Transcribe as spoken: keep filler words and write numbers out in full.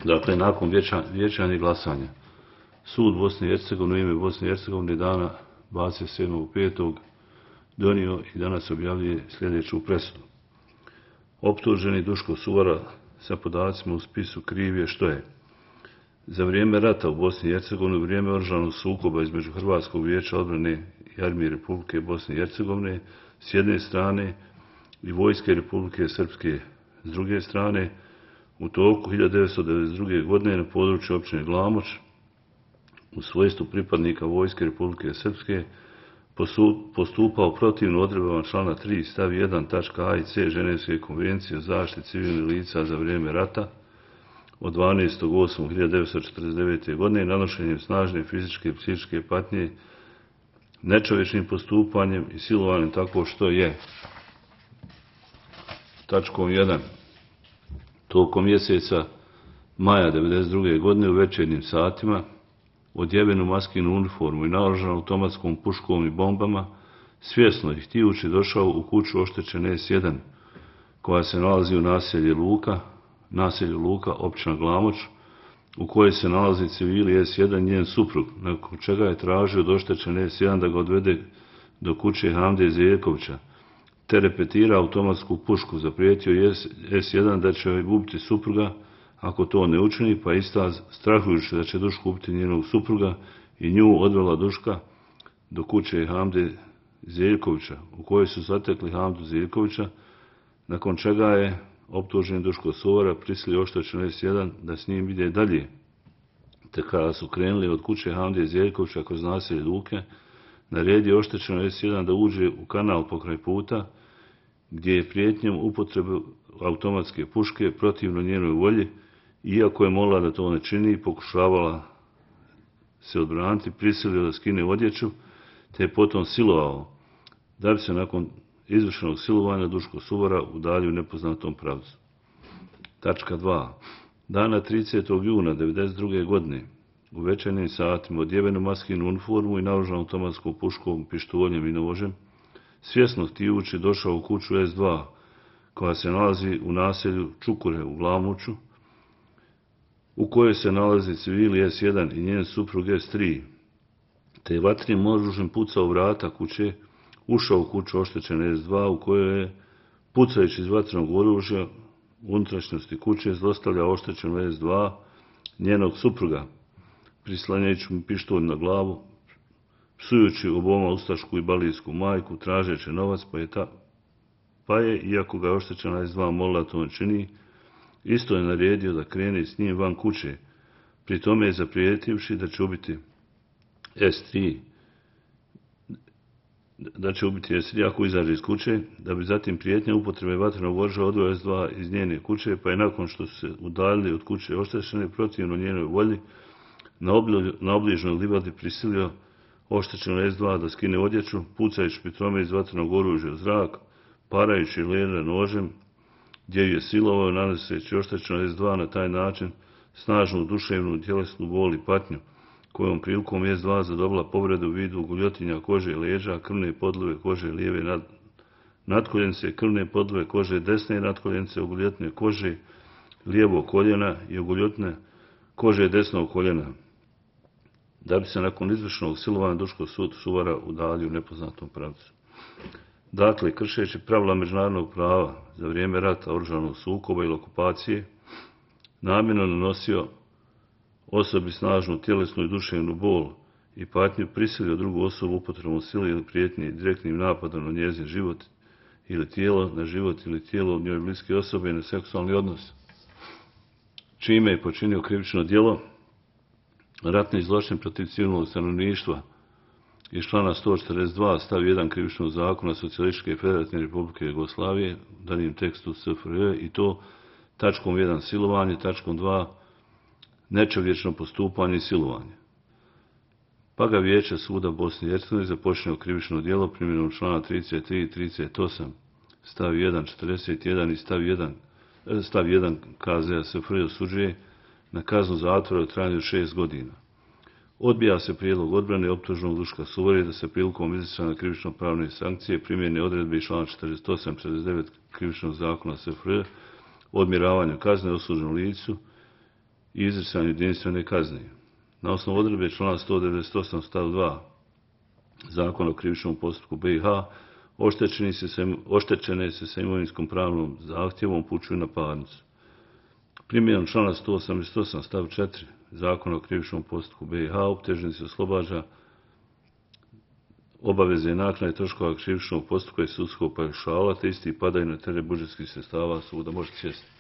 Dakle, nakon vijećanja i glasanja, sud Bosne i Hercegovine u ime Bosne i Hercegovine dana dvadeset sedmog petog donio i danas objavljuje sljedeću presudu. Optuženi Duško Suvara sa podacima u spisu kriv je što je za vrijeme rata u Bosni i Hercegovini, u vrijeme oružanog sukoba između Hrvatskog vijeća odbrane i armije Republike Bosne i Hercegovine s jedne strane i vojske Republike Srpske s druge strane, u toku hiljadu devetsto devedeset druge. godine na području općine Glamoč u svojstvu pripadnika vojske Republike Srpske postupao protivno odredbama člana tri stav jedan tačka a i c Ženevske konvencije o zaštiti civilnih lica za vrijeme rata od dvanaestog osmog hiljadu devetsto četrdeset devete. godine nanošenjem snažne fizičke i psihičke patnje, nečovječnim postupanjem i silovanjem tako što je tačkom jedan tokom mjeseca maja devedeset druge. godine u večernjim satima odjevenu maskinu uniformu i naoružan automatskom puškom i bombama, svjesno i htijući došao u kuću oštećene es jedan, koja se nalazi u naselju Luka, naselju Luka, općina Glamoč, u kojoj se nalazi civili es jedan njen suprug, nakon čega je tražio od oštećene es jedan da ga odvede do kuće Hamde Zeljkovića, te repetira automatsku pušku, zaprijetio je es jedan da će joj ubiti supruga ako to ne učini, pa ista strahujući da će Duško ubiti njenog supruga i nju odvela Duška do kuće Hamde Zeljkovića, u kojoj su zatekli Hamdu Zeljkovića, nakon čega je optuženi Duško Suvara prisilio oštećenu es jedan da s njim ide dalje, te kada su krenuli od kuće Hamde Zeljkovića kroz naselje Luke, naredio oštećenu es jedan da uđe u kanal pokraj puta, gdje je prijetnjom upotrebe automatske puške protivno njenoj volji, iako je molila da to ne čini, pokušavala se odbraniti, prisilio da skine odjeću, te je potom silovao, da bi se nakon izvršenog silovanja Duško Suvara udaljio u nepoznatom pravcu. Tačka dva. Dana tridesetog juna devedeset druge. godine u večernjim satima odjevenu maskinu uniformu i naoružan automatskom puškom, pištoljem i nožem, svjesno htijući došao u kuću es dva, koja se nalazi u naselju Čukure u Glamoču, u kojoj se nalazi civili es jedan i njen suprug es tri, te je vatrenim oružjem pucao u vrata kuće, ušao u kuću oštećene es dva, u kojoj je, pucajući iz vatrenog oružja u unutrašnjosti kuće, zlostavljao oštećenu es dva, njenog supruga, prislanjajući mu pištolj na glavu, psujući oboma ustašku i balijsku majku, tražeći novac, pa je, ta, pa je, iako ga je oštećena es dva molila to ne čini, isto je naredio da krene s njim van kuće, pri tome je zaprijetivši da će ubiti es tri, da će ubiti es tri ako izađe iz kuće, da bi zatim prijetnja upotrebe vatrenog oružja odveo es dva iz njene kuće, pa je nakon što su se udaljili od kuće oštećene protivno njenoj volji, na, obli, na obližnoj livadi prisilio oštećeno es dva da skine odjeću, pucajući pri tome iz vatrenog oružja u zrak, parajući leđa nožem, gdje ju je silovao, nanoseći oštećeno es dva na taj način snažnu duševnu tjelesnu bol i patnju, kojom prilikom es dva zadobila povredu u vidu guljotinja kože i leđa, krvne podlove kože lijeve nad, natkoljence, krvne podlove kože desne natkoljence, oguljotne kože lijevog koljena i oguljotne kože desnog koljena, da bi se nakon izvršenog silovanja Duško Suvara udaljio u nepoznatom pravcu. Dakle, kršeći pravila međunarodnog prava za vrijeme rata, oružanog sukoba ili okupacije, namjerno nanosio osobi snažnu tjelesnu i duševnu bol i patnju, prisilio drugu osobu upotrebom sile ili prijetnje direktnim napadom na njezin život ili tijelo, na život ili tijelo od njoj bliske osobe i na seksualni odnos, čime je počinio krivično djelo ratni zločin protiv civilnog stanovništva iz člana sto četrdeset dva stav jedan krivičnog zakona Socijalističke federativne Republike Jugoslavije, danim tekstu es fe er je, i to tačkom jedan silovanje, tačkom dva nečovječno postupanje i silovanje. Pa ga Vijeće suda Bosne i Hercegovine započinje krivično djelo primjenom člana trideset tri i trideset osam stav jedan, četrdeset jedan i stav jedan, stav jedan ka ze es fe er osuđuje na kaznu zatvora u trajanju od šest godina. Odbija se prijedlog odbrane optuženog Duška Suvare da se prilikom izricanja krivično pravne sankcije primjene odredbe iz člana četrdeset osam i četrdeset devet krivičnog zakona es fe er o odmjeravanju kazne osuđenom licu i izricanju jedinstvene kazne. Na osnovu odredbe člana sto devedeset osam stav dva Zakona o krivičnom postupku B i H, oštećeni se sa, oštećene se sa imovinskom pravnom zahtjevom upućuju na parnicu. Primjenom člana sto osamdeset osam stav četiri Zakona o krivičnom postupku B i H, optuženi se oslobađa obaveze naknade troškova krivičnog postupka i sudskog paušala, te isti padaju na teret budžetskih sredstava suda. Možete sjesti.